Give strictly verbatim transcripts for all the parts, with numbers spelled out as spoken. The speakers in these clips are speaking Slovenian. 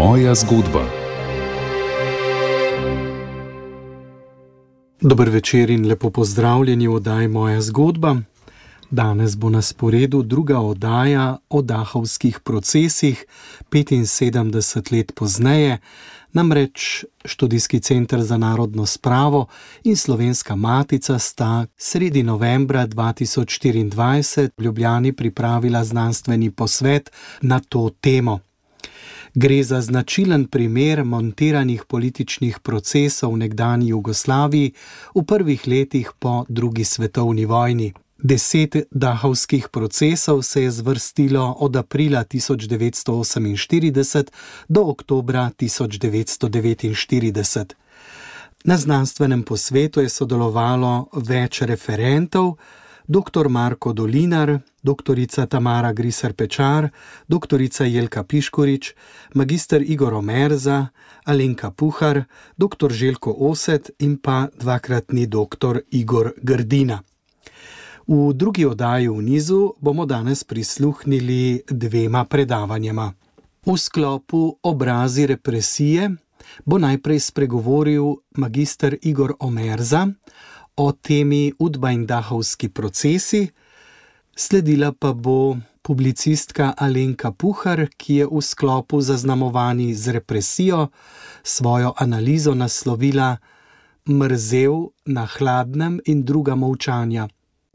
Moja zgodba. Dober večer in lepo pozdravljeni v oddaji Moja zgodba. Danes bo na sporedu druga oddaja o dahovskih procesih petinsedemdeset let pozneje, namreč Študijski center za narodno spravo in Slovenska matica sta sredi novembra dva tisoč štiriindvajset v Ljubljani pripravila znanstveni posvet na to temo. Gre za značilen primer montiranih političnih procesov v nekdanji Jugoslaviji v prvih letih po drugi svetovni vojni. Deset dahovskih procesov se je zvrstilo od aprila tisoč devetsto oseminštirideset do oktobra tisoč devetsto devetinštirideset. Na znanstvenem posvetu je sodelovalo več referentov: doktor Marko Dolinar, doktorica Tamara Griser-Pečar, doktorica Jelka Piškorič, magister Igor Omerza, Alenka Puhar, doktor Željko Oset in pa dvakratni doktor Igor Grdina. V drugi oddaji v nizu bomo danes prisluhnili dvema predavanjema. V sklopu Obrazi represije bo najprej spregovoril magister Igor Omerza o temi Udba in dahovski procesi, sledila pa bo publicistka Alenka Puhar, ki je v sklopu Zaznamovani z represijo svojo analizo naslovila Mrzel na hladnem in druga molčanja.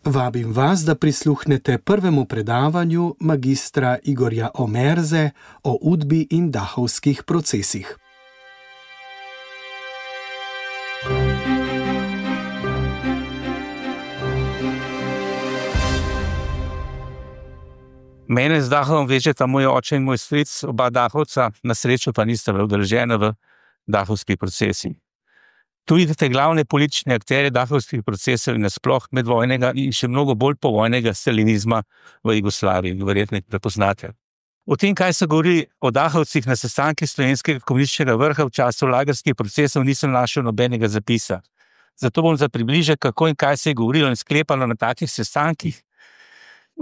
Vabim vas, da prisluhnete prvemu predavanju magistra Igorja Omerze o Udbi in dahovskih procesih. Mene z Dahovom vežeta moj oče in moj stric, oba dahovca, na srečo pa nista bila udeležena v dahovskih procesih. Tu vidite glavne politične akterje dahovskih procesov in nasploh medvojnega in še mnogo bolj povojnega stalinizma v Jugoslaviji, verjetno prepoznate. O tem, kaj so govorili o dahovcih na sestankih slovenskega komunističnega vrha v času lagerskih procesov, nisem našel nobenega zapisa. Zato bom za približek, kako in kaj se je govorilo in sklepalo na takih sestankih,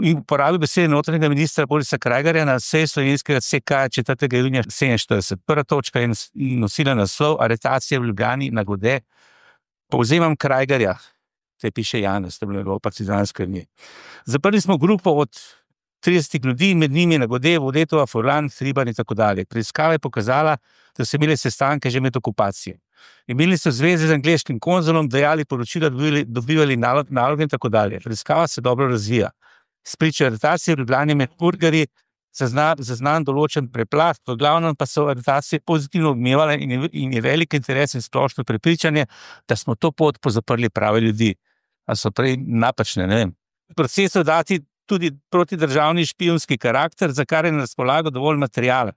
in uporabil besede notranjega ministra Borisa Krajgarja na seji slovenskega C K četrtega junija sedeminštirideset. Prva točka je nosila naslov Aretacija v Ljubljani na Gode. Povzemam Krajgarja, se piše Janez, to je bilo njegovo partizansko ime. Zaprli smo grupo od trideset ljudi, med njimi na Gode, Vodetova, Furlan, Hribar in tako dalje. Preiskava je pokazala, da so imeli sestanke že med okupacijo. Imeli so zveze z angleškim konzulom, dajali poročila, dobivali, dobivali nalog, naloge in tako dalje. Preiskava se dobro razvija. Spričo aretacije v Ljubljani med purgarji zaznan, zaznan določen preplast, v glavnem pa so aretacije pozitivno odmevale in je, in je velik interes in splošno prepričanje, da smo to pot pozaprli prave ljudi. A so prej napačne, ne vem. Procesu dati tudi protidržavni špijunski karakter, za kar je na razpolago dovolj materijala.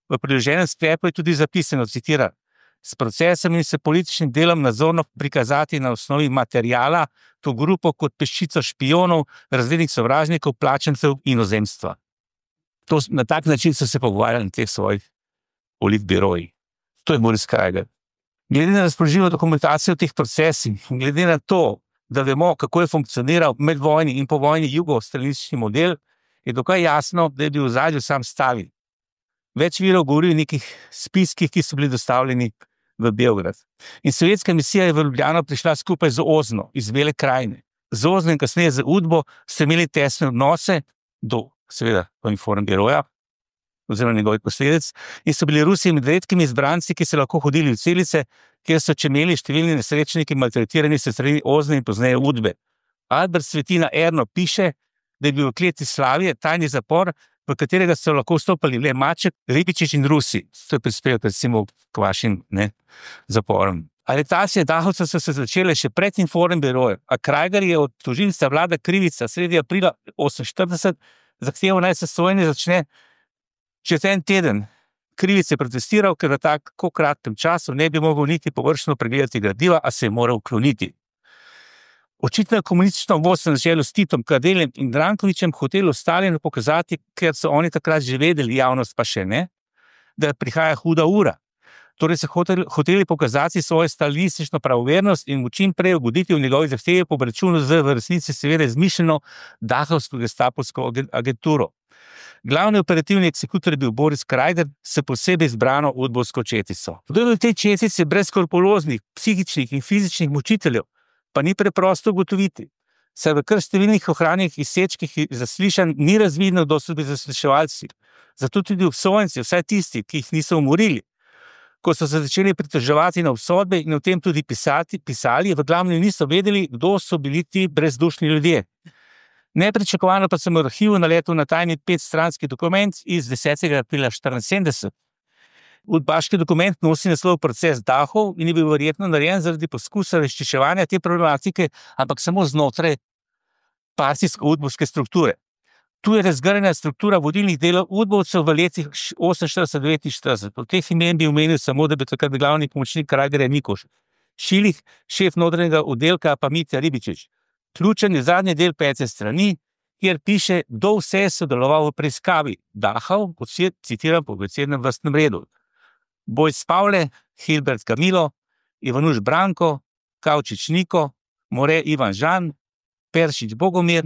V priloženem sklepu je tudi zapisano, citiram, s procesom in se političnim delom nadzorno prikazati na osnovi materijala to grupo kot peščico špijonov, razrednih sovražnikov, plačancev in ozemstva. To, na tak način so se pogovarjali na teh svojih politbirojih. To je Boris Krajgar. Glede na razpoložljivo dokumentacijo v teh procesih, glede na to, da vemo, kako je funkcioniral medvojni in povojni jugo-stalinistični model, je dokaj jasno, da je bil v ozadju sam Stalin. Več virov govori o nekih spiskih, ki so bili dostavljeni v Beograd. In sovjetska misija je v Ljubljano prišla skupaj z Ozno iz Bele krajine. Z Ozno in kasneje z Udbo so imeli tesne odnose do, seveda, Informbiroja oziroma njegovih posledic in so bili Rusi med redkimi izbranci, ki so lahko hodili v celice, kjer so čemeli številni nesrečniki maltretirani se strani Ozne in pozneje Udbe. Albert Svetina Erno piše, da je bil v kleti Slavije tajni zapor, v katerega so lahko vstopali le Maček, Ribičič in Rusi. To je prispevek recimo k vašim ne, zaporom. Aretacije dahovcev so se začele še pred Informbirojem, a Krajgar je od tožilca Vlada Krivica sredi aprila oseminštirideset zahteval, naj se sojenje začne čez en teden. Krivic je protestiral, ker v tako kratkem času ne bi mogel niti površno pregledati gradiva, a se je moral ukloniti. Očitno je komunistično vodstvo na čelu s Titom, Kardeljem in Brankovićem hotelo Stalinu pokazati, ker so oni takrat že vedeli, javnost pa še ne, da prihaja huda ura. Torej so hoteli, hoteli pokazati svojo stalinistično pravovernost in mu čim prej ugoditi v njegovi zahtevi po obračunu z v resnici seveda izmišljeno dahovsko gestapovsko agenturo. Glavni operativni eksekutor je bil Boris Krajger s posebej izbrano udbovsko četico. Kdo je v tej četici brez skrupuloznih, psihičnih in fizičnih mučiteljev, pa ni preprosto ugotoviti. Saj v kar številnih ohranjenih izsečkih zaslišanj ni razvidno, kdo so bili zasliševalci. Zato tudi obsojenci, vsaj tisti, ki jih niso umorili, ko so se začeli pritoževati na obsodbe in o tem tudi pisati, pisali, v glavnem niso vedeli, kdo so bili ti brezdušni ljudje. Nepričakovano pa sem v arhivu naletel na tajni petstranski dokument iz desetega aprila štiriinsedemdeset. Udbaški dokument nosi naslov Proces Dachau in je bil verjetno narejen zaradi poskusa razčiščevanja te problematike, ampak samo znotraj partijsko-udbovske strukture. Tu je razgrnjena struktura vodilnih delov udbovcev v letih oseminštirideset do devetinštirideset. Od teh imen bi omenil samo, da bi takrat glavni pomočnik Krajgerja Mikoš, Šilih, šef notranjega oddelka pa Mitja Ribičič. Ključen je zadnji del pete strani, kjer piše, kdo vse je sodeloval v preiskavi Dachau, citiram po abecednem vrstnem redu. Bojs Pavle, Hilbert Kamilo, Ivanuš Branko, Kavčič Niko, More Ivan Žan, Peršič Bogomir,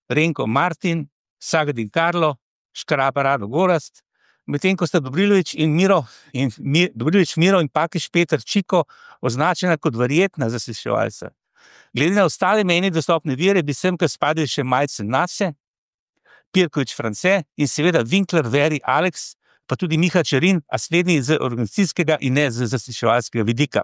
Renko Martin, Sagadin Karlo, Škraba Rado Gorast, medtem ko sta Dobrilović in Miro in Mi, Dobrilović Miro in Pakiš Peter Čiko označena kot verjetna zasliševalca. Glede na ostale meni dostopne vire bi semkaj spadali še Majcen Nase, Pirković France in seveda Winkler Veri Alex, pa tudi Miha Čerin, a slednji z organizacijskega in ne z zasliševalskega vidika.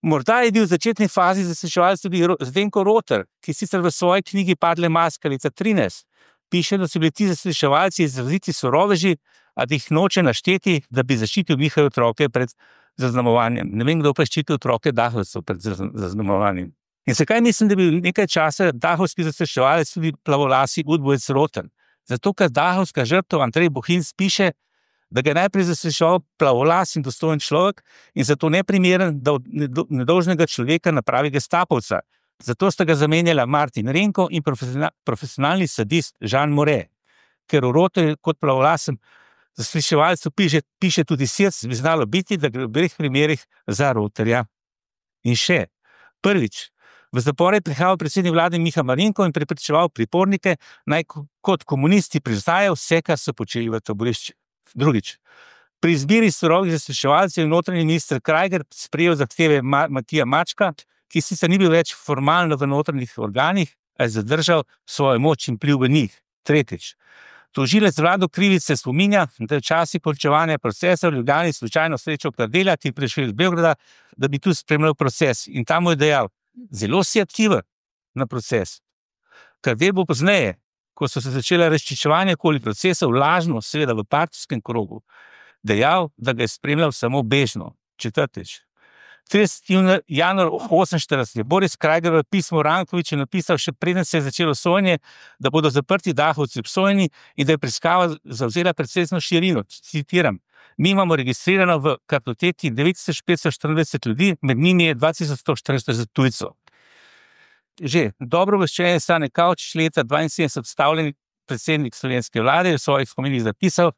Morda je bil v začetni fazi zasliševalca tudi Zdenko Roter, ki sicer v svoji knjigi Padle maske leta trinajst piše, da so bili ti zasliševalci izraziti soroveži, a da jih noče našteti, da bi zaščitil njihove otroke pred zaznamovanjem. Ne vem, kdo pa ščiti otroke Dachovcev pred zaznamovanjem. In zakaj mislim, da je bil nekaj časa dahovski zasliševalec tudi plavolasi udbovec Roter? Zato, ker dahovska žrtev Andrej Bohinc piše, da ga je najprej zasliševal plavolas in dostojen človek in zato neprimeren, da od nedolžnega človeka napravi gestapovca. Zato sta ga zamenjala Martin Renko in profesionalni sadist Žan More. Ker v Roterju kot plavolasem zasliševalcu piše, piše tudi Sirc, bi znalo biti, da gre v obeh primerih za Roterja. In še, prvič, v zapor je prihajal predsednik vlade Miha Marinko in prepričeval pripornike, naj kot komunisti priznajo vse, kar so počeli v taborišču. Drugič, pri izbiri surovih zasliševalcev je notranji minister Krajger sprejel zahteve Ma Matija Mačka, ki sicer ni bil več formalno v notranjih organih, a je zadržal svojo moč in vpliv v njih. Tretjič, tožilec Vlado Krivic se spominja, da je v času končevanja procesa v Ljubljani slučajno srečal Kardelja, ki je prišel iz Beograda, da bi tu spremljal proces. In tam mu je dejal, zelo si aktiven na proces. Kardel bo pozneje, ko so se začela razčiščevanja okoli procesov, lažno, seveda v partijskem krogu, dejal, da ga je spremljal samo bežno. Četrtič, trideseti januar oseminštirideset je Boris Krajger v pismu Rankoviću napisal, še preden se je začelo sojenje, da bodo zaprti Dachovci obsojeni in da je preiskava zavzela precejšnjo širino. Citiram, mi imamo registrirano v kartoteki devet tisoč petsto štiriindvajset ljudi, med njimi je dva tisoč sto štirideset tujcev. Že dobro obveščen je Stane Kavčič, leta dvainsedemdeset odstavljeni predsednik slovenske vlade, v svojih spominih zapisal,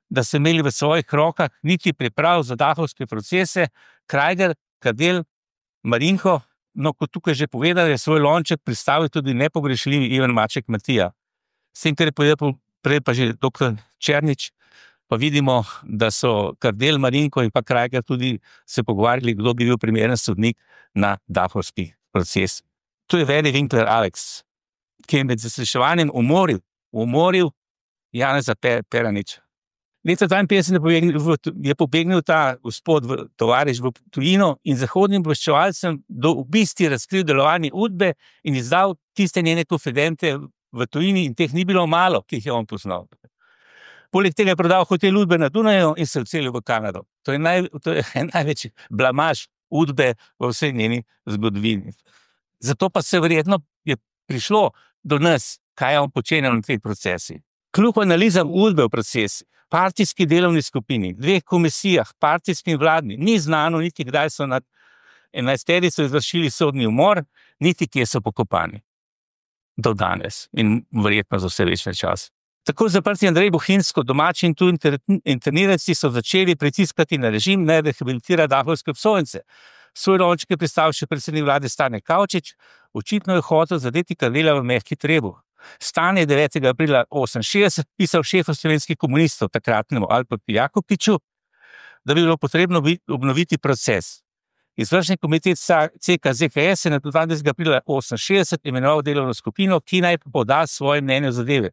da so imeli v svojih rokah niti priprav za dachovske procese, Krajger, Kardel, Marinko, no, kot tukaj že povedal, je svoj lonček pristavil tudi nepogrešljivi Ivan Maček Matija. S tem, kar je povedal prej pa že doktor Černič, pa vidimo, da so Kardel, Marinko in pa Krajger tudi se pogovarjali, kdo bi bil primeren sodnik na dachovski proces. To je Veri Winkler Alex, ki je med zasliševanjem umoril, umoril Janeza Peraniča. Leta dvainpetdeset je pobegnil ta gospod v tovariš v tujino in zahodnim obveščevalcem do v bistvu razkril delovanje Udbe in izdal tiste njene konfidente v tujini in teh ni bilo malo, ki jih je on poznal. Poleg tega je prodal hotel Udbe na Dunaju in se odselil v Kanado. To je, naj, to je največji blamaž Udbe v vsej njeni zgodovini. Zato pa se verjetno je prišlo do nas, kaj je on počenjal na teh procesih. Kljub analizam Udbe v procesi, partijski delovni skupini, dveh komisijah, partijski in vladni, ni znano niti kdaj so nad enajsterico izvršili sodni umor, niti kje so pokopani. Do danes in verjetno za vse večne čas. Tako zaprti Andrej Bohinc kot domači in tu interniranci so začeli pritiskati na režim, naj rehabilitira dachovske obsojence. Svoj lonček je pristavil še predsednik vlade Stane Kavčič, očitno je hotel zadeti Kardelja v mehki trebuh. Stanje devetega aprila oseminšestdeset pisal šefu slovenskih komunistov, takratnemu Albertu Jakopiču, da bi bilo potrebno obnoviti proces. Izvršni komitet C K Z K S je na dvajsetega aprila oseminšestdeset imenoval delovno skupino, ki naj poda svoje mnenje o zadevi.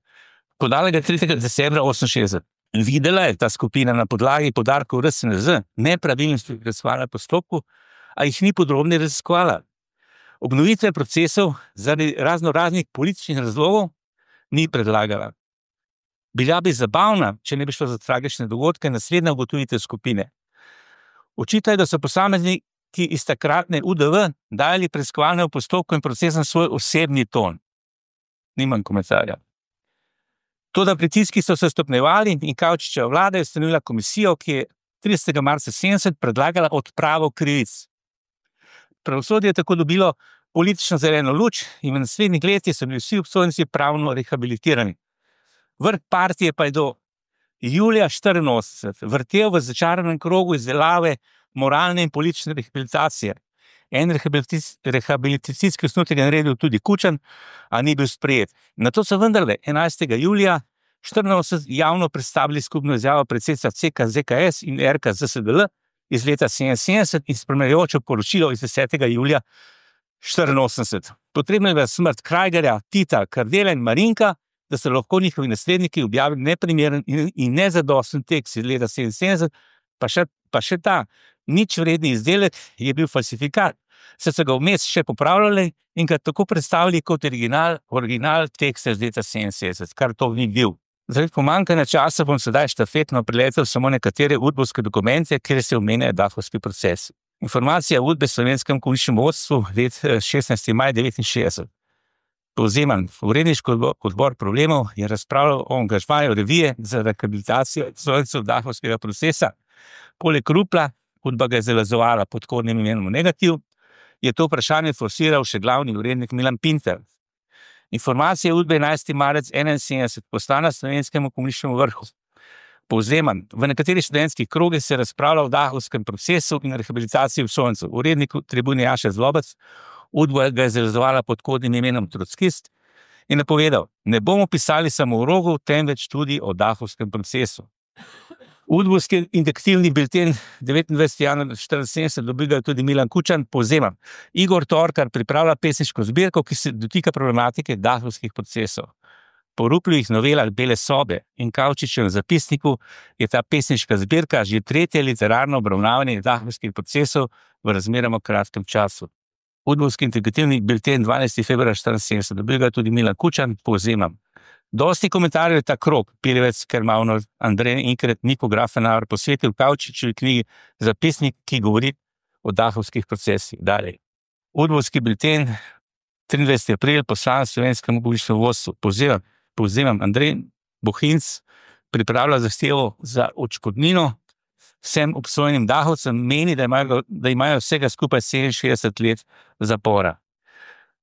Podala ga tretjega decembra oseminšestdeset. Videla je ta skupina na podlagi podarkov R S N Z nepravilnosti raziskovalnega postopku, a jih ni podrobno raziskovala. Obnovitve procesov zaradi razno raznih političnih razlogov ni predlagala. Bila bi zabavna, če ne bi šlo za tragične dogodke, naslednja ugotovitev skupine. Očitajo, da so posamezniki iz takratne U D V dajali preiskovalnemu postopku in procesom svoj osebni ton. Nimam komentarja. Toda pritiski so se stopnjevali in Kavčičeva vlada je ustanovila komisijo, ki je tridesetega marca sedemdeset predlagala odpravo krivic. Pravosodje je tako dobilo politično zeleno luč in v naslednjih letih so bili vsi obsojenci pravno rehabilitirani. Vrh partije pa je do julija štiriinosemdeset vrtel v začaranem krogu izdelave moralne in politične rehabilitacije. En rehabilitacijski osnutek je naredil tudi Kučan, a ni bil sprejet. Nato so vendarle enajstega julija štiriinosemdeset javno predstavili skupno izjavo predsedstva C K Z K S in R K Z S D L iz leta sedeminsedemdeset in spremljajoče poročilo iz desetega julija štiriinosemdeset. Potrebna je bila smrt Krajgerja, Tita, Kardela in Marinka, da so lahko njihovi nasledniki objavili neprimeren in nezadosten tekst iz leta sedeminsedemdeset, pa še, pa še ta nič vredni izdelek je bil falsifikat, saj so ga vmes še popravljali in ga tako predstavili kot original, original teksta iz leta sedeminsedemdeset, kar to ni bil. Zaradi pomanjkanja časa bom sedaj štafetno preletel samo nekatere udbovske dokumente, kjer se omenjajo dahovski procesi. Informacija o udbe slovenskem komunističnem vodstvu let šestnajstega maja devetinšestdeset. Povzemam, uredniški odbor problemov je razpravljal o angažmaju revije za rehabilitacijo obsojencev dahovskega procesa. Poleg Rupla, udba ga je zalazovala pod kodnim imenom Negativ, je to vprašanje forsiral še glavni urednik Milan Pinter. Informacija udbe enajstega marca enainsedemdeset poslana slovenskemu komunističnemu vrhu. Povzemam, v nekaterih študentskih krogih se razpravlja o dahovskem procesu in rehabilitaciji obsojencev. Urednik Tribune Jaša Zlobec, udba ga je zalazovala pod kodnim imenom Trockist in napovedal, ne bomo pisali samo o rogu, temveč tudi o dahovskem procesu. Udbovski induktivni bilten devetindvajsetega januarja štiriinsedemdeset dobil ga tudi Milan Kučan. Povzemam, Igor Torkar pripravlja pesniško zbirko, ki se dotika problematike dahovskih procesov. Po Rupljevih novelah Bele sobe in Kavčičevem zapisniku je ta pesniška zbirka že tretje literarno obravnavanje dahovskih procesov v razmeroma kratkem času. Udbovski induktivni bilten dvanajstega februarja štiriinsedemdeset dobil ga tudi Milan Kučan. Povzemam, dosti komentarjev je ta krog, Pirjevec, Kermavnov, Andrej Inkret, Niko Grafenauer posvetil Kavčičevi knjigi Zapisnik, ki govori o dahovskih procesih. Dalej. Udbovski bilten triindvajsetega aprila poslan slovenskemu komunističnemu vodstvu. Povzemam, povzemam, Andrej Bohinc pripravlja zahtevo za odškodnino vsem obsojenim dahovcem, meni, da imajo, da imajo vsega skupaj sedeminšestdeset let zapora.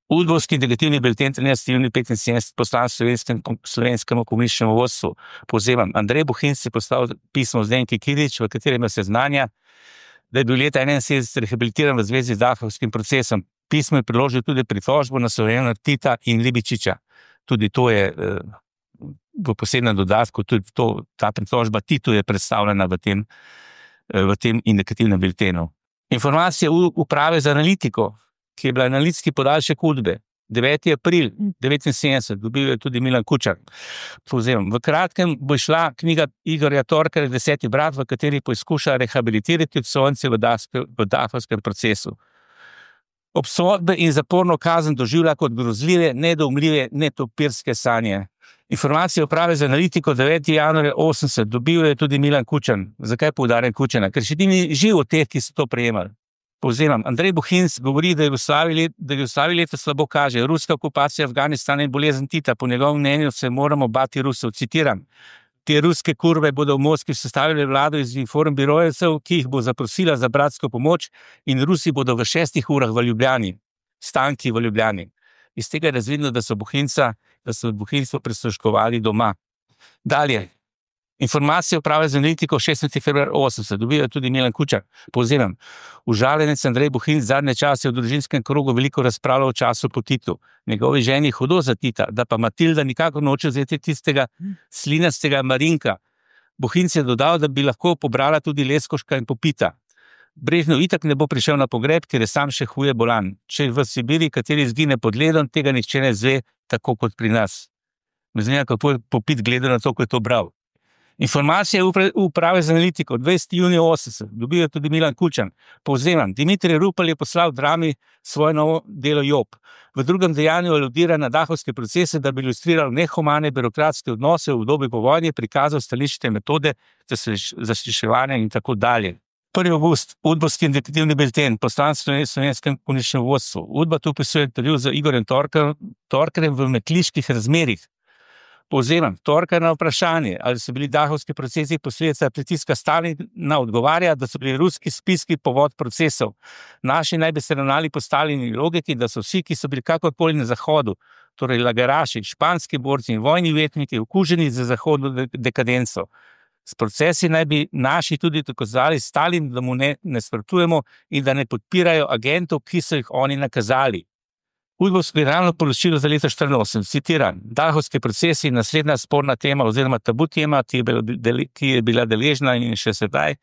Udbovski induktivni bilten trinajstega junija petinsedemdeset poslan slovenskemu, slovenskemu komunističnemu vodstvu. Povzemam, Andrej Bohinc je poslal pismo Zdenki Kidrič, v katerem se znanja, da je bil leta enainsedemdeset rehabilitiran v zvezi z dahovskim procesom. Pismo je priložil tudi pritožbo na Slovena Tita in Libičiča. Tudi to je v posebnem dodatku, tudi to, ta pritožba Titu je predstavljena v tem, v tem induktivnem biltenu. Informacija uprave za analitiko, ki je bila analitski podaljšek udbe, deveti april devetinsedemdeset, dobil je tudi Milan Kučan. Povzemam, v kratkem bo šla knjiga Igorja Torkarja Deseti brat, v kateri poskuša rehabilitirati obsojence v, v dahovskem procesu. Obsodbe in zaporno kazen doživlja kot grozljive, nedoumljive, netopirske sanje. Informacije uprave za analitiko devetega januarja osemdeset dobil je tudi Milan Kučan. Zakaj poudarjam Kučana? Ker še ni živ od teh, ki so to prejemali. Povzemam, Andrej Bohinc govori, da Jugoslaviji leto slabo kaže. Ruska okupacija Afganistana in bolezen Tita. Po njegovem mnenju se moramo bati Rusov. Citiram, te ruske kurve bodo v Moskvi sestavili vlado iz inform birojevcev, ki jih bo zaprosila za bratsko pomoč in Rusi bodo v šestih urah v Ljubljani, stanki v Ljubljani. Iz tega je razvidno, da so Bohinca, da so Bohinco prisluškovali doma. Dalje. Informacije uprave za analitiko šestnajsti februar osemdeset, dobijo tudi Milan Kučar. Povzemam. Užaljenec Andrej Bohinc zadnje čase v družinskem krogu veliko razpravljal o času po Titu. Njegovi ženi hudo za Tita, da pa Matilda nikakor noče vzeti tistega slinastega Marinka. Bohinc je dodal, da bi lahko pobrala tudi Leskoška in popita. Brežnjev itak ne bo prišel na pogreb, ker je sam še huje bolan. Če v Sibiri kateri izgine pod ledom, tega nihče ne zve, tako kot pri nas. Me zanima, kako je popit gledal na to, ko je to bral. Informacije uprave za analitiko dvajseti junij osemdeset, dobijo tudi Milan Kučan. Povzemam, Dimitrij Rupel je poslal v Drami svoje novo delo Job. V drugem dejanju aludira na dahovske procese, da bi ilustriral nehumane birokratske odnose v obdobju po vojni, prikazal stališče metode za sliševanje in tako dalje. prvi avgust, Udbovski indikativni bilten, poslan slovenskem političnem vodstvu. Udba tu opisuje intervju z Igorjem Torkarjem v metliških razmerih. Povzemam, Torkar na vprašanje, ali so bili dahovski procesi posledica pritiska Stalina, odgovarja, da so bili ruski spiski povod procesov. Naši naj bi se ravnali po Stalinini logiki, da so vsi, ki so bili kakorkoli na zahodu, torej lagaraši, španski borci in vojni ujetniki, okuženi za zahodno dekadenco. S procesi naj bi naši tudi dokazali Stalin, da mu ne nasprotujemo in da ne podpirajo agentov, ki so jih oni nakazali. Udbovsko generalno poročilo za leto štiriinosemdeset, citiram, dahovski procesi, naslednja sporna tema oziroma tabu tema, ki je bila, ki je bila deležna in še sedaj,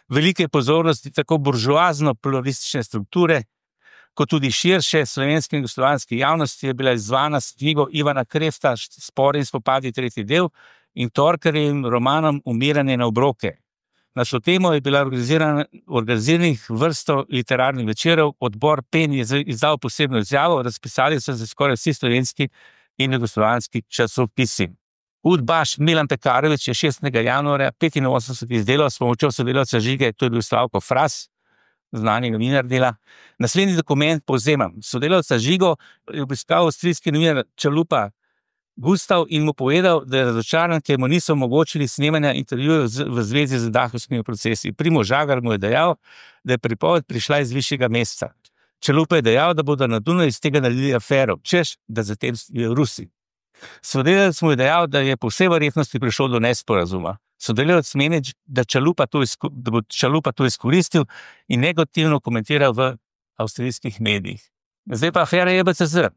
velike pozornosti tako buržoazno pluralistične strukture, kot tudi širše slovenske in jugoslovanske javnosti je bila izzvana s knjigo Ivana Krefta Spori in spopadi tretji del in Torkarjevim romanom Umiranje na obroke. Na to temo je bila organiziranih vrsto literarnih večerov, odbor Pen je izdal posebno izjavo, razpisali so se skoraj vsi slovenski in jugoslovanski časopisi. Udbaš Milan Pekarovič je šestnega januarja petinosemdeset izdelal s pomočjo sodelavca Žige, to je bil Slavko Fras, znani novinar dela. Naslednji dokument povzemam. Sodelavca Žigo je obiskal avstrijski novinar Čalupa Gustav in mu povedal, da je razočaran, ker mu niso omogočili snemanja intervjujev v zvezi z dahovskimi procesi. Primož Žagar mu je dejal, da je pripoved prišla iz višjega mesta. Čalupa je dejal, da bodo na Dunaju iz tega naredili afero, češ, da zatem je Rusi. Sodelavec mu je dejal, da je po vsej verjetnosti prišlo do nesporazuma. Sodelavec meni, da, to izko, da bo Čalupa to izkoristil in negativno komentiral v avstrijskih medijih. Zdaj pa afera J B C Z.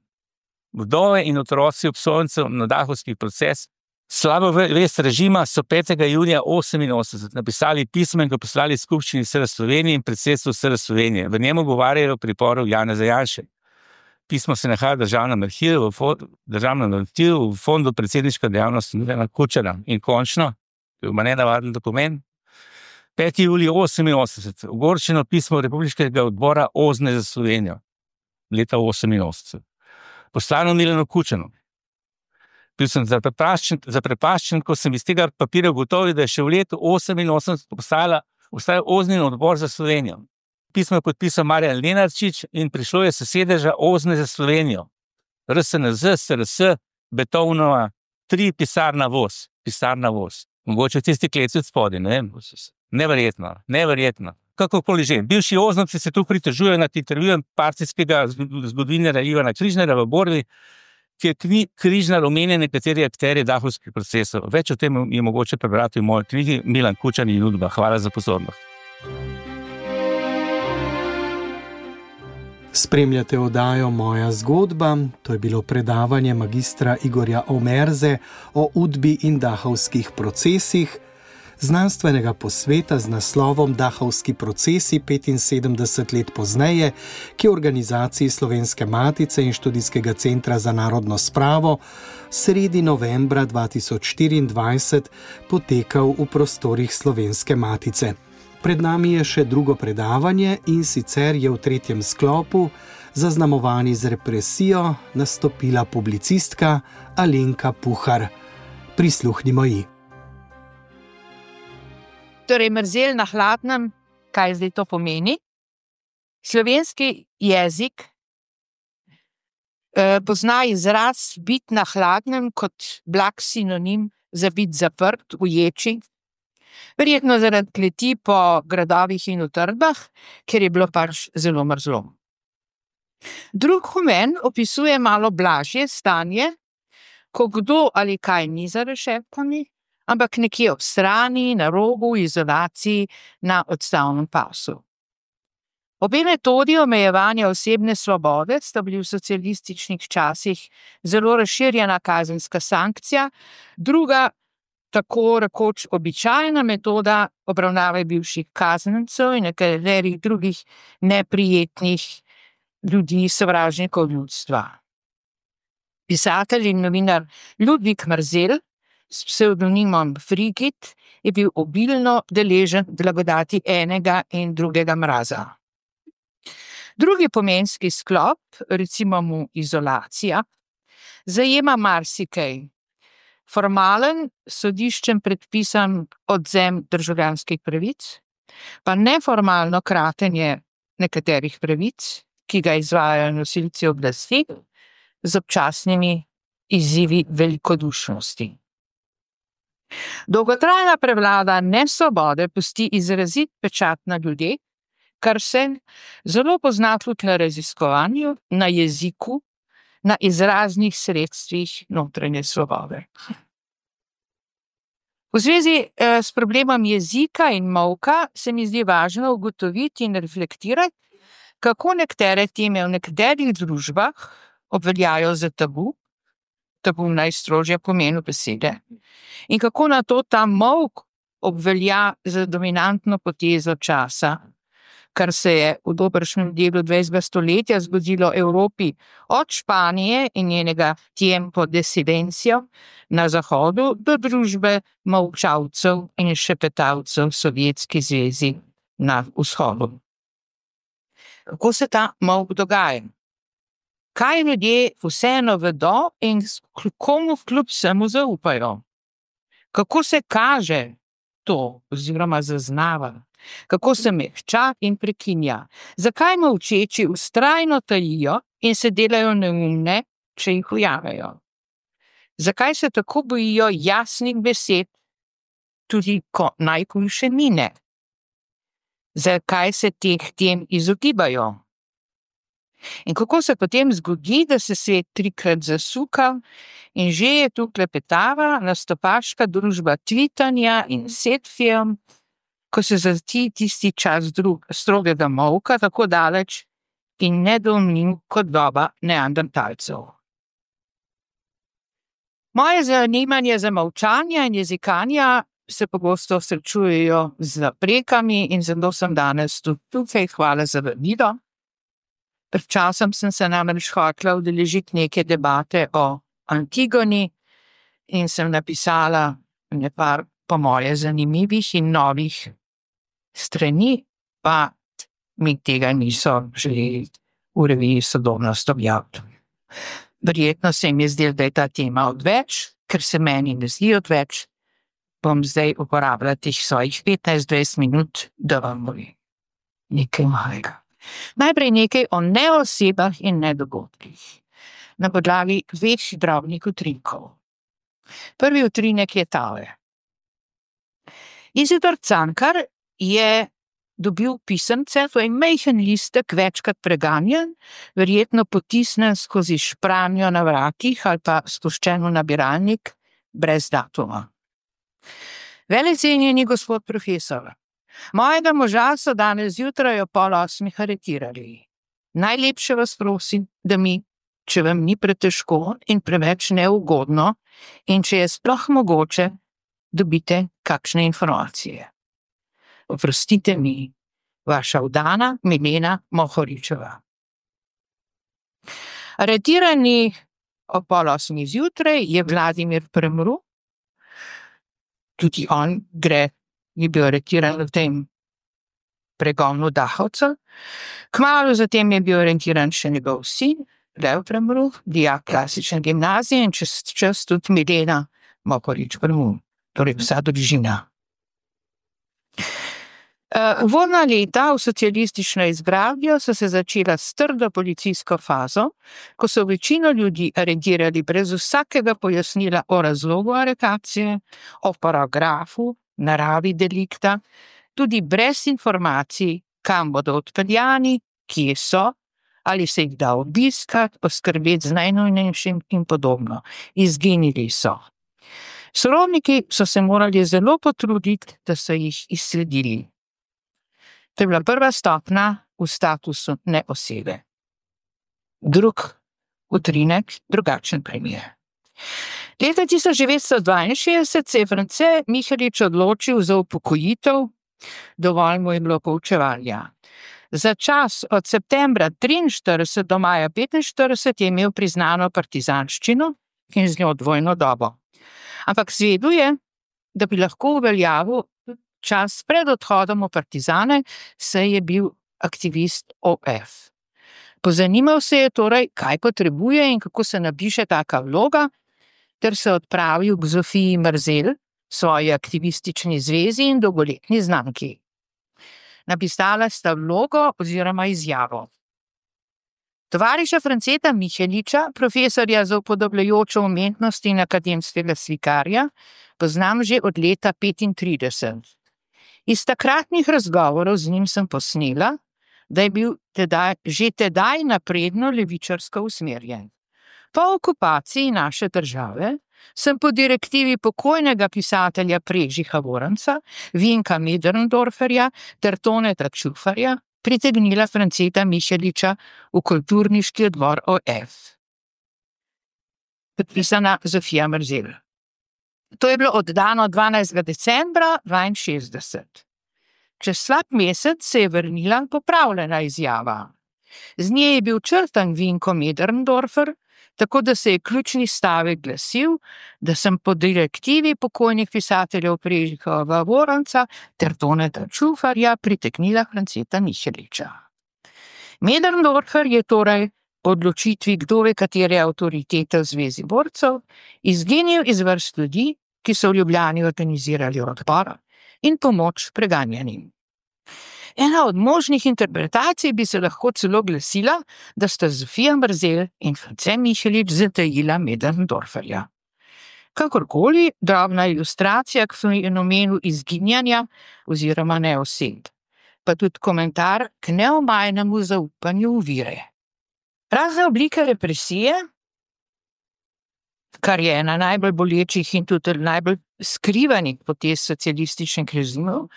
Vdove in otroci obsojencev na dahovski proces. Slabo vest režima so petega junija oseminosemdeset napisali pismo in ga poslali skupščini S R Slovenije in predsedstvu S R Slovenije. V njemu govarjajo o priporu Janeza Janše. Pismo se nahaja v državnem arhivu, v državnem arhivu, v fondu predsedniške dejavnosti Milana Kučana. In končno, to je nenavaden dokument, peti julij oseminosemdeset, ogorčeno pismo Republiškega odbora OZNE za Slovenijo, leta oseminosemdeset. Poslano Milanu Kučanu. Bil sem zaprepaščen, ko sem iz tega papirja ugotovil, da je še v letu oseminosemdeset postajal OZNin odbor za Slovenijo. Pismo je podpisal Marjan Lenarčič in prišlo je s sedeža OZNE za Slovenijo. R S N Z, S R S, Betovnova, tri, pisarna voz, pisarna voz. Mogoče tisti kleci od spodaj, ne vem. Neverjetno, neverjetno. Kakorkoli že. Bivši oznovci se tu pritožujejo nad intervjujem partijskega zgodovinarja Ivana Križnarja v Borvi, ki je Križnar omenja nekateri akterji dahovskih procesov. Več o tem je mogoče prebrati v moji knjigi Milan Kučan in Udba. Hvala za pozornost. Spremljate oddajo Moja zgodba, to je bilo predavanje magistra Igorja Omerze o Udbi in dahovskih procesih, znanstvenega posveta z naslovom Dahovski procesi petinsedemdeset let pozneje, ki je v organizaciji Slovenske matice in Študijskega centra za narodno spravo sredi novembra dva tisoč štiriindvajset potekal v prostorih Slovenske matice. Pred nami je še drugo predavanje in sicer je v tretjem sklopu, zaznamovani z represijo, nastopila publicistka Alenka Puhar. Prisluhnimo ji. Torej, mrzelj na hladnem, kaj zdaj to pomeni? Slovenski jezik eh, pozna izraz biti na hladnem kot blag sinonim za biti zaprt, uječi, verjetno zaradi kleti po gradovih in utrdbah, ker je bilo pač zelo mrzlo. Drug pomen opisuje malo blažje stanje, ko kdo ali kaj ni za rešetkami, ampak nekje ob strani, na robu, v izolaciji, na odstavnem pasu. Obe metodi omejevanja osebne svobode sta bili v socialističnih časih zelo razširjena kazenska sankcija, druga, tako rekoč običajna metoda obravnave bivših kaznjencev in nekaterih drugih neprijetnih ljudi, sovražnikov ljudstva. Pisatelj in novinar Ludvik Marzel s psevdonimom Frigit je bil obilno deležen blagodati enega in drugega mraza. Drugi pomenski sklop, recimo mu izolacija, zajema marsikaj. Formalen, sodiščem predpisan odvzem državljanskih pravic, pa neformalno kratenje nekaterih pravic, ki ga izvajajo nosilci oblasti, z občasnimi izzivi velikodušnosti. Dolgotrajna prevlada nesvobode pusti izrazit pečat na ljudeh, kar se zelo pozna tudi na raziskovanju, na jeziku, na izraznih sredstvih notranje svobode. V zvezi eh, s problemom jezika in molka se mi zdi važno ugotoviti in reflektirati, kako nekatere teme v nekaterih družbah obveljajo za tabu, tabu v najstrožjem pomenu besede, in kako na to ta molk obvelja za dominantno potezo časa, kar se je v dobršnem delu dvajsetega stoletja zgodilo Evropi od Španije in njenega tiempo de silencio na zahodu do družbe molčavcev in šepetalcev v Sovjetski zvezi na vzhodu. Kako se ta molk dogaja? Kaj ljudje vseeno vedo in komu kljub vsemu zaupajo? Kako se kaže to oziroma zaznava? Kako se mehča in prekinja? Zakaj molčeči vztrajno tajijo in se delajo neumne, če jih ujamejo? Zakaj se tako bojijo jasnih besed, tudi ko najhujše mine? Zakaj se teh tem izogibajo? In kako se potem zgodi, da se svet trikrat zasuka in že je tu klepetava, nastopaška družba tvitanja in selfijem, ko se zati tisti čas drug, strogega molka tako daleč in nedoumljiv kot doba neandertalcev. Moje zanimanje za molčanje in jezikanja se pogosto srečujejo z zaprekami in zato sem danes tudi tukaj, hvala za vabilo. Pred časom sem se namreč hotela udeležiti neke debate o Antigoni in sem napisala nekaj po moje zanimivih in novih strani, pa mi tega niso želeli v reviji Sodobnost objaviti. Verjetno se jim je zdelo, da je ta tema odveč, ker se meni ne zdi odveč, bom zdaj uporabljala teh svojih petnajst do dvajset minut, da vam bo nekaj malega. Najprej nekaj o neosebah in nedogodkih, na podlagi dveh drobnih utrinkov. Prvi utrinek je tale. Izidor Cankar je dobil pisemce, to je majhen listek, večkrat preganjen, verjetno potisnen skozi špranjo na vratih ali pa spuščen v nabiralnik brez datuma. Velecenjeni gospod profesor, mojega moža so danes zjutraj o pol osmih aretirali. Najlepše vas prosim, da mi, če vam ni pretežko in preveč neugodno, in če je sploh mogoče, dobite kakšne informacije. Oprostite mi, vaša vdana Milena Mohoričeva. Aretirani o pol osmih zjutraj je Vladimir Premru, tudi on gre, je bil aretiran v tem pregonu Dahovca. Kmalu zatem je bil aretiran še njegov sin, Lev Premru, dijak klasične gimnazije in čez čas tudi Milena Mohorič Premru, torej vsa družina. Uvodna leta v socialistično izgradnjo so se začela s trdo policijsko fazo, ko so večino ljudi aretirali brez vsakega pojasnila o razlogu aretacije, o paragrafu, naravi delikta, tudi brez informacij, kam bodo odpeljani, kje so, ali se jih da obiskati, poskrbeti z najnujnejšim in podobno. Izginili so. Sorodniki so se morali zelo potruditi, da so jih izsledili. To je bila prva stopnja v statusu neosebe. Drug utrinek, drugačen primer. Leta tisoč devetsto dvainšestdeset se je France Mihelič odločil za upokojitev, dovolj mu je bilo poučevanja. Za čas od septembra triinštirideset do maja petinštirideset je imel priznano partizanščino in z njo dvojno dobo. Ampak zvedel je, da bi lahko uveljavil čas pred odhodom v partizane, saj je bil aktivist O F. Pozanimal se je torej, kaj potrebuje in kako se napiše taka vloga, ter se odpravil k Zofiji Mrzel, svoji aktivistični zvezi in dolgoletni znanki. Napisala sta vlogo oziroma izjavo. Tovariša Franceta Miheliča, profesorja za upodobljajočo umetnost in akademskega slikarja, poznam že od leta petintrideset. Iz takratnih razgovorov z njim sem posnela, da je bil tedaj, že tedaj napredno levičarsko usmerjen. Po okupaciji naše države sem po direktivi pokojnega pisatelja Prežiha Voranca, Vinka Möderndorferja ter Toneta Čufarja pritegnila Franceta Miheliča v kulturniški odbor O F. Podpisana Zofija Mrzel. To je bilo oddano dvanajstega decembra dvainšestdeset. Čez slab mesec se je vrnila popravljena izjava. Z nje je bil črtan Vinko Möderndorfer, tako da se je ključni stavek glasil, da sem po direktivi pokojnih pisateljev Prežiha Voranca ter Toneta Čufarja pritegnila Franceta Miheliča. Möderndorfer je torej po odločitvi kdo ve katere avtoritete v Zvezi borcev izginil iz vrst ljudi, ki so v Ljubljani organizirali odpor in pomoč preganjanim. Ena od možnih interpretacij bi se lahko celo glasila, da sta Zofija Mrzel in France Mihelič zatajila Möderndorferja. Kakorkoli, drobna ilustracija k fenomenu izginjanja oziroma neoseb, pa tudi komentar k neomajnemu zaupanju v vire. Razne oblike represije, kar je ena najbolj bolečih in tudi najbolj skrivanih potez socialističnih režimov,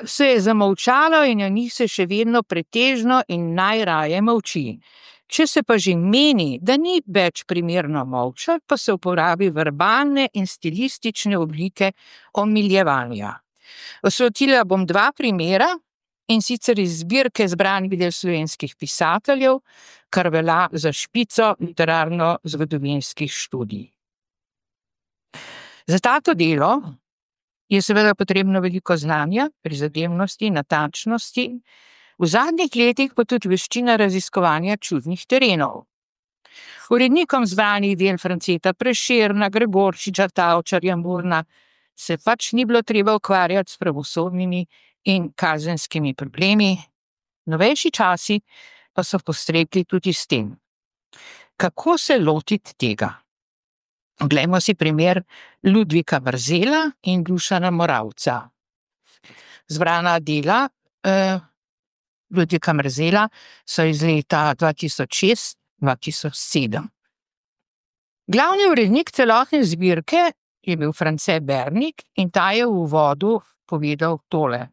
se je zamolčalo in o njih se še vedno pretežno in najraje molči. Če se pa že meni, da ni več primerno molčati, pa se uporabi verbalne in stilistične oblike omiljevanja. Osvetlila bom dva primera, in sicer iz zbirke zbranih del slovenskih pisateljev, kar velja za špico literarno-zgodovinskih študij. Za tato delo je seveda potrebno veliko znanja, prizadevnosti, natančnosti, v zadnjih letih pa tudi veščina raziskovanja čudnih terenov. Urednikom zbranih del Franceta Prešerna, Gregorčiča, Tavčarja, Murna se pač ni bilo treba ukvarjati s pravosodnimi in kazenskimi problemi, novejši časi pa so postregli tudi s tem. Kako se lotiti tega? Glejmo si primer Ludvika Mrzela in Dušana Moravca. Zbrana dela eh, Ludvika Mrzela so iz leta dva tisoč šest do dva tisoč sedem. Glavni urednik celotne zbirke je bil France Bernik in ta je v uvodu povedal tole.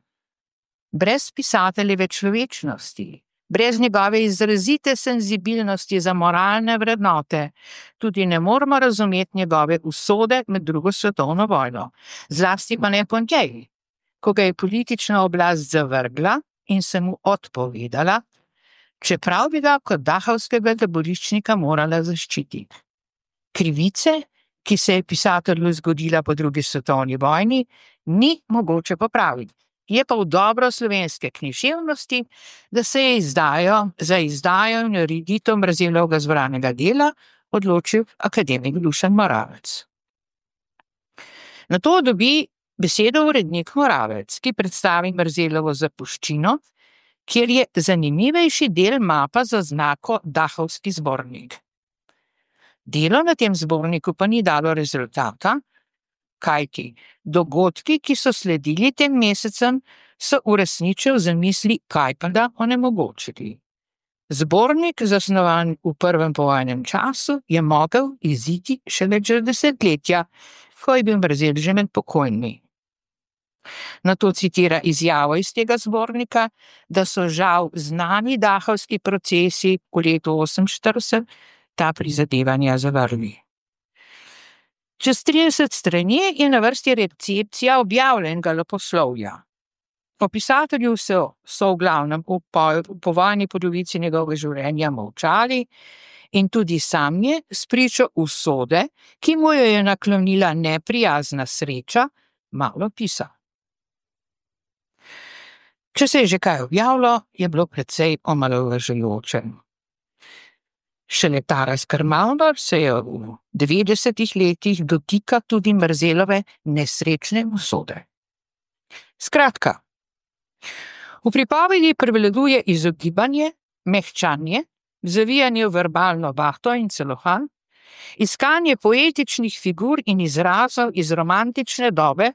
Brez pisateljeve človečnosti, brez njegove izrazite senzibilnosti za moralne vrednote, tudi ne moremo razumeti njegove usode med drugo svetovno vojno, zlasti pa ne po njej, ko ga je politična oblast zavrgla in se mu odpovedala, čeprav bi ga kot dahovskega taboriščnika morala zaščititi. Krivice, ki se je pisatelju zgodila po drugi svetovni vojni, ni mogoče popraviti. Je pa v dobro slovenske književnosti, da se je izdajo, za izdajo in ureditev Mrzelovega zbranega dela odločil akademik Dušan Moravec. Nato dobi besedo urednik Moravec, ki predstavi Mrzelovo Zapuščino, kjer je zanimivejši del mapa za znako Dahovski zbornik. Delo na tem zborniku pa ni dalo rezultata, kajti dogodki, ki so sledili tem mesecem, so uresničili zamisli Kajpada onemogočili. Zbornik, zasnovan v prvem povojnem času, je mogel iziti šele čez desetletja, ko je bil Mrzel že med pokojnimi. Nato citira izjavo iz tega zbornika, da so žal znani dahovski procesi v letu oseminštirideset ta prizadevanja zavrgli. Čez trideset strani je na vrsti recepcija objavljenega leposlovja. O pisatelju so, so v glavnem v povojni polovici njegovega življenja molčali in tudi sam je spričo usode, ki mu jo je naklonila neprijazna sreča, malo pisal. Če se je že kaj objavilo, je bilo precej omalovažujoče. Šele Taras Karamalnar se je v devetdesetih letih dotika tudi Mrzelove nesrečne usode. Skratka, v pripovedi prevladuje izogibanje, mehčanje, zavijanje v verbalno vato in celofan, iskanje poetičnih figur in izrazov iz romantične dobe,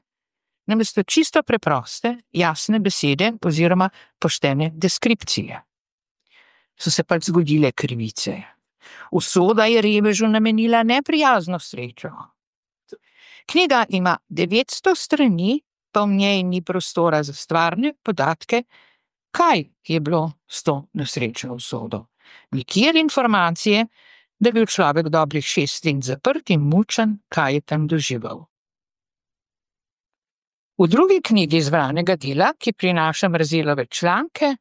namesto čisto preproste, jasne besede oziroma poštene deskripcije. So se pač zgodile krivice. Usoda je revežu namenila neprijazno srečo. Knjiga ima devetsto strani, pa v njej ni prostora za stvarne podatke, kaj je bilo s to nesrečno usodo. Nikjer informacije, da je bil človek dobrih šest let zaprt in mučen, kaj je tam doživel. V drugi knjigi izbranega dela, ki prinaša Mrzelove članke,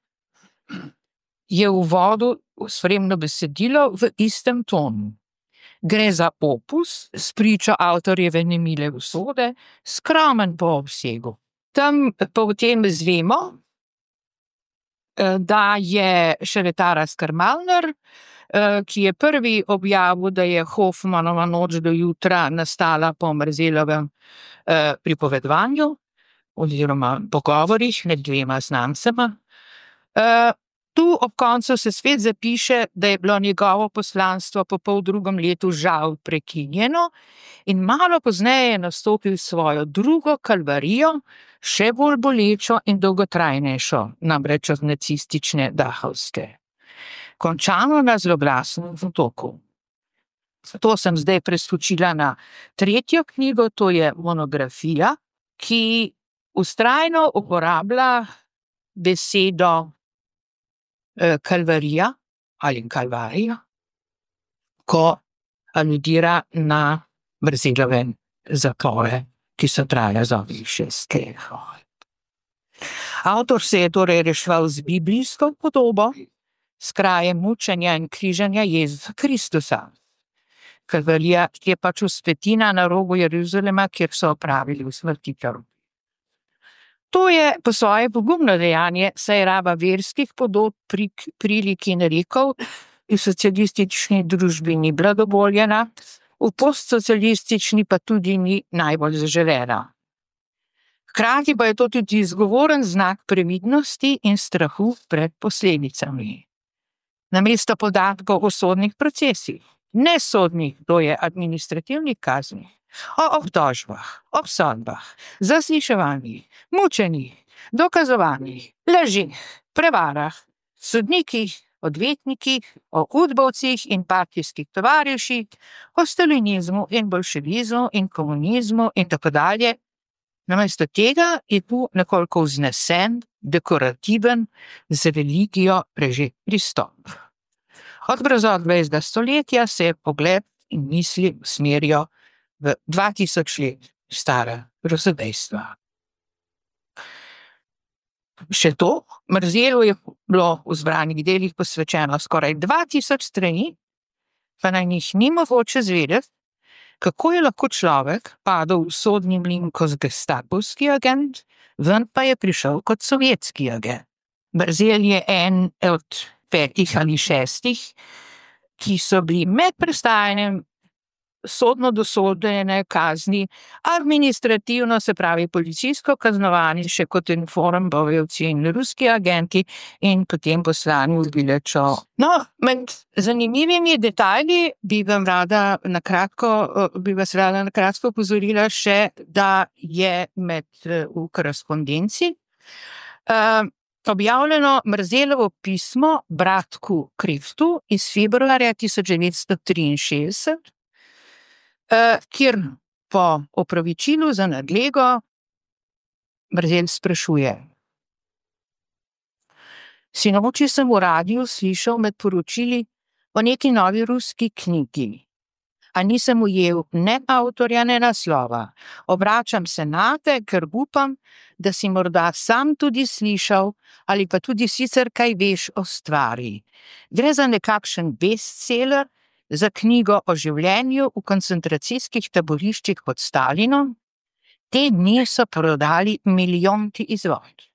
je v uvodu spremno besedilo v istem tonu. Gre za opus s pričo avtorjeve nemile usode, skromen po obsegu. Tam potem zvemo, da je šele Taras Karamalnar, ki je prvi objavil, da je Hoffmanova Noč do jutra nastala po Mrzelovem pripovedovanju oziroma pogovorih med dvema znancema. Tu ob koncu se spet zapiše, da je bilo njegovo poslanstvo po poldrugem letu žal prekinjeno in malo pozneje je nastopil svojo drugo kalvarijo, še bolj bolečo in dolgotrajnejšo, namreč od nacistične dahovske. Končano na zloglasnem otoku. To sem zdaj preskočila na tretjo knjigo, to je monografija, ki vztrajno uporablja besedo kalvarija ali kalvarija, ko aludira na Mrzelove zapore, ki so trajale dobrih šest let. Avtor se je torej reševal z biblijsko podobo, s krajem mučenja in križanja Jezusa Kristusa. Kalvarija je pač vzpetina na robu Jeruzalema, kjer so opravili usmrtitev. To je po svoje pogumno dejanje, saj raba verskih podob, prilik in rekov v socialistični družbi ni bila dovoljena, v postsocialistični pa tudi ni najbolj zaželena. Hkrati pa je to tudi izgovoren znak previdnosti in strahu pred posledicami. Namesto podatkov o sodnih procesih, ne sodnih, to je administrativnih kazni, o obtožbah, obsodbah, zasliševanjih, mučenjih, dokazovanjih, lažih, prevarah, sodnikih, odvetnikih, o udbovcih in partijskih tovariših, o stalinizmu in bolševizmu in komunizmu in tako dalje. Namesto tega je tu nekoliko vznesen, dekorativen, z religijo prežet pristop. Od brazot dvajsetega stoletja se pogled in misli usmerijo v dva tisoč let stara grozodejstva. Še to, Mrzelu je bilo v zbranih delih posvečeno skoraj dva tisoč strani, pa na njih ni mogoče zvedeti, kako je lahko človek padel v sodni mlin kot gestapovski agent, ven pa je prišel kot sovjetski agent. Mrzel je en od petih ali šestih, ki so bili med prestajanjem sodno dosodene kazni, administrativno, se pravi policijsko kaznovani, še kot inform bovevci in ruski agenti in potem poslani v Bilečo. No, med zanimivimi detajli bi vam rada na kratko, bi vas rada na kratko opozorila še, da je med v korespondenci uh, objavljeno Mrzelovo pismo bratku Kreftu iz februarja tisoč devetsto triinšestdeset, Uh, kjer po opravičilu za nadlego Mrzelj sprašuje: Sinoči sem v radiju slišal med poročili o neki novi ruski knjigi, a nisem ujel ne avtorja, ne naslova. Obračam se nate, ker upam, da si morda sam tudi slišal ali pa tudi sicer kaj veš o stvari. Gre za nekakšen bestseller, za knjigo o življenju v koncentracijskih taboriščih pod Stalinom. Te dni so prodali milijonti izvod.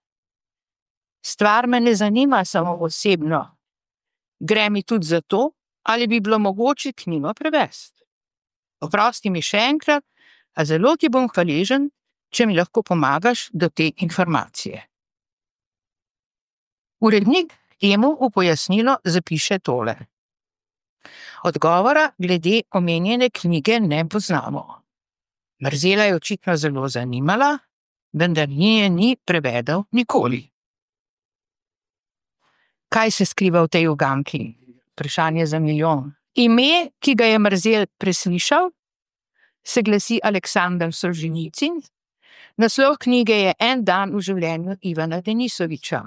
Stvar me ne zanima samo osebno. Gre mi tudi za to, ali bi bilo mogoče knjigo prevesti. Oprosti mi še enkrat, a zelo ti bom hvaležen, če mi lahko pomagaš do te informacije. Urednik temu v pojasnilo zapiše tole: Odgovora glede omenjene knjige ne poznamo. Mrzela je očitno zelo zanimala, vendar nje ni prevedel nikoli. Kaj se skriva v tej uganki? Vprašanje za milijon. Ime, ki ga je Mrzelj preslišal, se glasi Aleksandar Solženicin. Naslov knjige je En dan v življenju Ivana Denisoviča.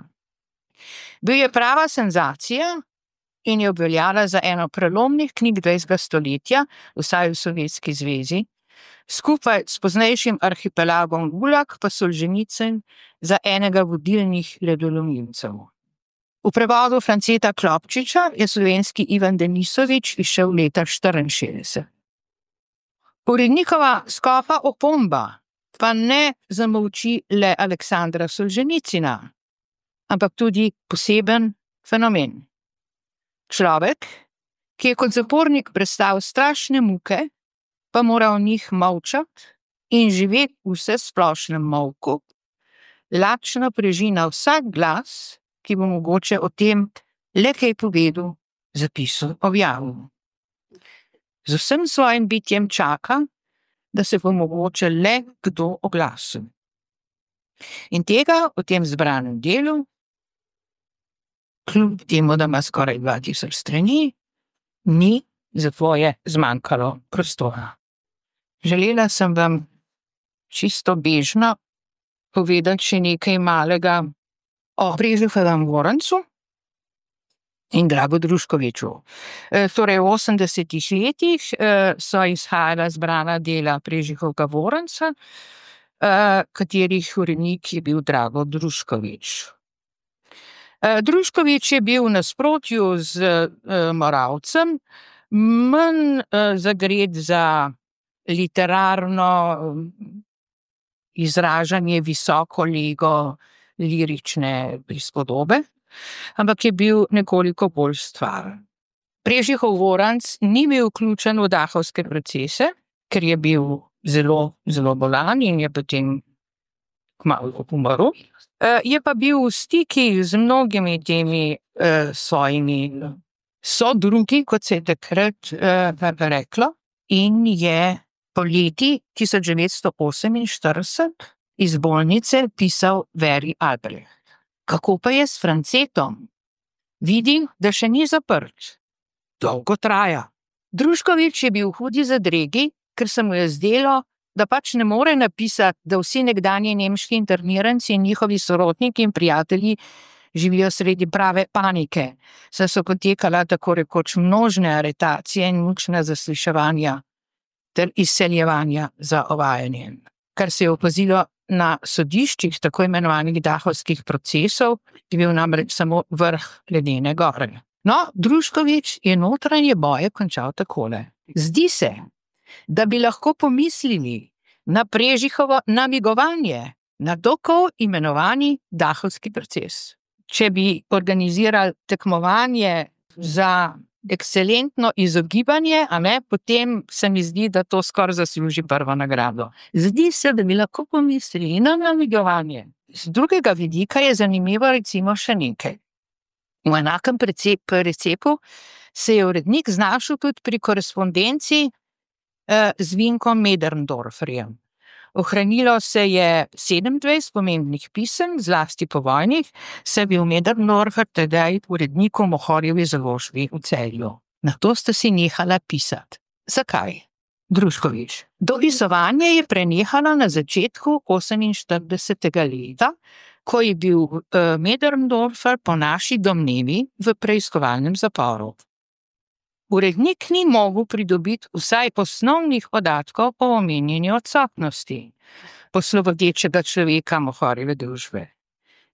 Bil je prava senzacija in je obveljala za eno prelomnih knjig dvajsetega stoletja, vsaj v Sovjetski zvezi, skupaj s poznejšim arhipelagom Gulag pa Solženicin za enega vodilnih ledolomilcev. V prevodu Franceta Klopčiča je slovenski Ivan Denisovič izšel leta štiriinšestdeset. Urednikova skopa opomba pa ne zamolči le Aleksandra Solženicina, ampak tudi poseben fenomen. Človek, ki je kot zapornik prestal strašne muke, pa mora o njih molčati in živeti v vsesplošnem molku, lačno preži na vsak glas, ki bo mogoče o tem le kaj povedal, zapisal, objavil. Z vsem svojim bitjem čaka, da se bo mogoče le kdo oglasil. In tega v tem zbranem delu, kljub temu, da ima skoraj dva tisoč strani, ni, zato je zmanjkalo prostora. Želela sem vam čisto bežno povedati še nekaj malega o Prežihowem Vorancu in Dragu Druškoviču. E, torej v osemdesetih letih e, so izhajala zbrana dela Prežihovega Voranca, e, katerih urednik je bil Drago Druškovič. E, Druškovič je bil v nasprotju z e, Moravcem manj e, zagret za literarno izražanje visoko lego lirične prispodobe, ampak je bil nekoliko bolj stvaren. Prežihov Voranc ni bil vključen v dahovske procese, ker je bil zelo, zelo bolan in je potem kmalu umrl. Je pa bil v stikih z mnogimi temi eh, svojimi sodrugi, kot se je takrat eh, reklo, in je poleti tisoč devetsto oseminštirideset iz bolnice pisal Veri Albrecht. Kako pa je s Francetom? Vidim, da še ni zaprt. Dolgo traja. Druškovič je bil v hudi zadregi, ker se mu je zdelo, da pač ne more napisati, da vsi nekdanji nemški interniranci in njihovi sorodniki in prijatelji živijo sredi prave panike, saj so potekala tako rekoč množne aretacije in mučna zasliševanja ter izseljevanja za ovajanje. Kar se je opazilo na sodiščih tako imenovanih dahovskih procesov, je bil namreč samo vrh ledene gore. No, Druškovič je notranje boje končal takole. Zdi se, da bi lahko pomislili na Prežihovo namigovanje na tako imenovani dahovski proces. Če bi organizirali tekmovanje za ekscelentno izogibanje, a ne, potem se mi zdi, da to skoraj zasluži prvo nagrado. Zdi se, da bi lahko pomislili na namigovanje. Z drugega vidika je zanimivo recimo še nekaj. V enakem precepu se je urednik znašel tudi pri korespondenci eh, z Vinkom Möderndorferjem. Ohranilo se je sedemindvajset pomembnih pisem, zlasti povojnih, saj je bil Möderndorfer tedaj urednik v Mohorjevi založbi v Celju. Na to sta si nehala pisati. Zakaj? Družkovič. Dopisovanje je prenehalo na začetku oseminštiridesetega leta, ko je bil uh, Möderndorfer po naši domnevi v preiskovalnem zaporu. Urednik ni mogel pridobiti vsaj osnovnih podatkov o omenjeni odsotnosti poslovodečega človeka Mohorjeve družbe.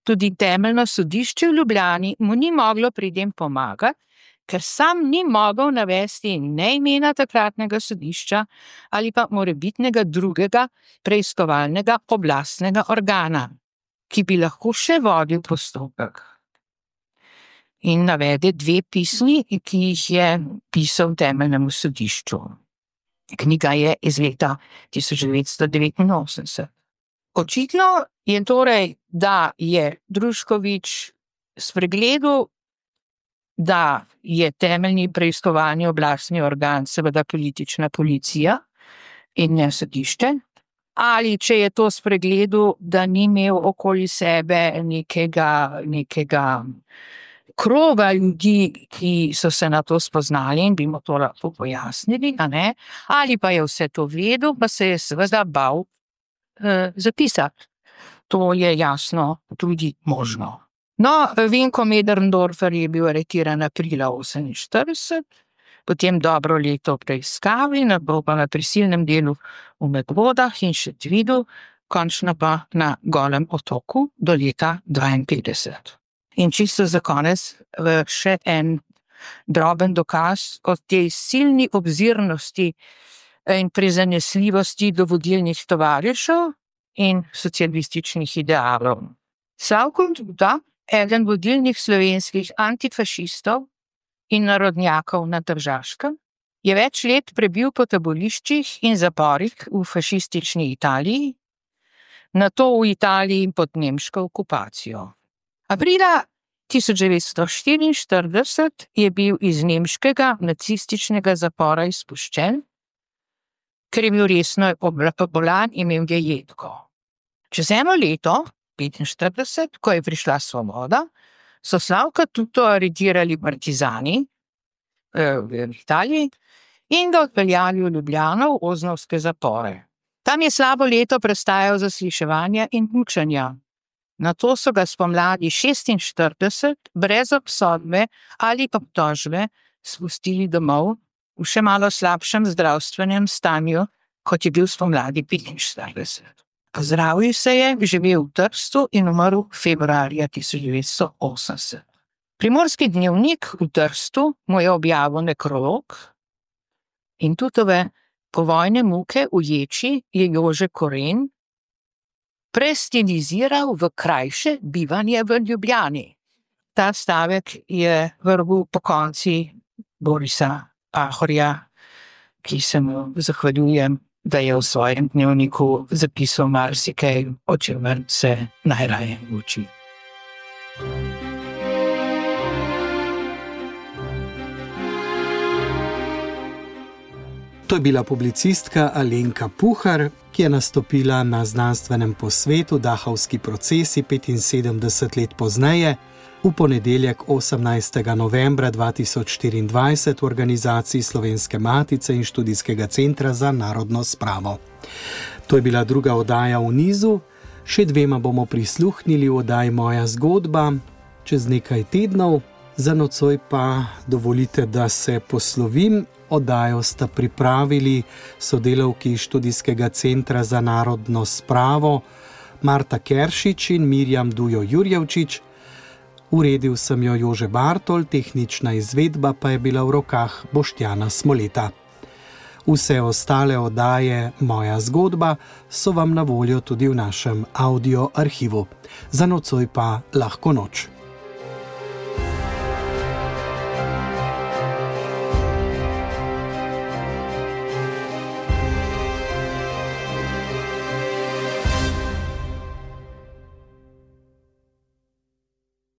Tudi temeljno sodišče v Ljubljani mu ni moglo pri tem pomagati, ker sam ni mogel navesti ne imena takratnega sodišča ali pa morebitnega drugega preiskovalnega oblastnega organa, ki bi lahko še vodil postopek. In navede dve pismi, ki jih je pisal temeljnemu sodišču. Knjiga je iz leta tisoč devetsto devetinosemdeset. Očitno je torej, da je Družkovič spregledal, da je temeljni preiskovalni oblastni organ seveda politična policija in ne sodišče, ali če je to spregledal, da ni imel okoli sebe nekega, nekega kroga ljudi, ki so se na to spoznali in bi mu to lahko pojasnili, a ne? Ali pa je vse to vedel, pa se je seveda bal eh, zapisati. To je jasno tudi možno. No, Vinko Möderndorfer je bil aretiran aprila oseminštirideset, potem dobro leto v preiskavi, nato pa na prisilnem delu v Medvodah in Šentvidu, končno pa na Golem otoku do leta dvainpetdeset. In čisto za konec še en droben dokaz o tej silni obzirnosti in prizanesljivosti do vodilnih tovarišev in socialističnih idealov. Slavko Duda, eden vodilnih slovenskih antifašistov in narodnjakov na Tržaškem, je več let prebil po taboriščih in zaporih v fašistični Italiji, nato v Italiji pod nemško okupacijo. Aprila tisoč devetsto štiriinštirideset je bil iz nemškega nacističnega zapora izpuščen, ker je bil resno bolan in imel je jedko. Čez eno leto, petinštirideset, ko je prišla svoboda, so Slavka Tuto aretirali partizani eh, v Italiji in ga odpeljali v Ljubljano v Oznovske zapore. Tam je slabo leto prestajal zasliševanja in mučenja. Nato so ga spomladi šestinštirideset brez obsodbe ali obtožbe spustili domov v še malo slabšem zdravstvenem stanju, kot je bil spomladi petinštirideset. Zdravil se je, živel v Trstu in umrl februarja tisoč devetsto osemdeset. Primorski dnevnik v Trstu mu je objavil nekrolog in Tutove povojne muke v ječi je Jože Koren prestiliziral v krajše bivanje v Ljubljani. Ta stavek je vrgel po konci Borisa Pahorja, ki se mu zahvaljujem, da je v svojem dnevniku zapisal marsikaj, o čemer se najraje uči. To je bila publicistka Alenka Puhar, ki je nastopila na znanstvenem posvetu Dahovski procesi petinsedemdeset let pozneje, v ponedeljek osemnajstega novembra dva tisoč štiriindvajset v organizaciji Slovenske matice in Študijskega centra za narodno spravo. To je bila druga oddaja v nizu, še dvema bomo prisluhnili v oddaji Moja zgodba čez nekaj tednov, za nocoj pa dovolite, da se poslovim. Oddajo sta pripravili sodelavki Študijskega centra za narodno spravo Marta Keršič in Mirjam Dujo Jurjevčič. Uredil sem jo Jože Bartol, tehnična izvedba pa je bila v rokah Boštjana Smoleta. Vse ostale oddaje Moja zgodba so vam na voljo tudi v našem audio arhivu. Za nocoj pa lahko noč.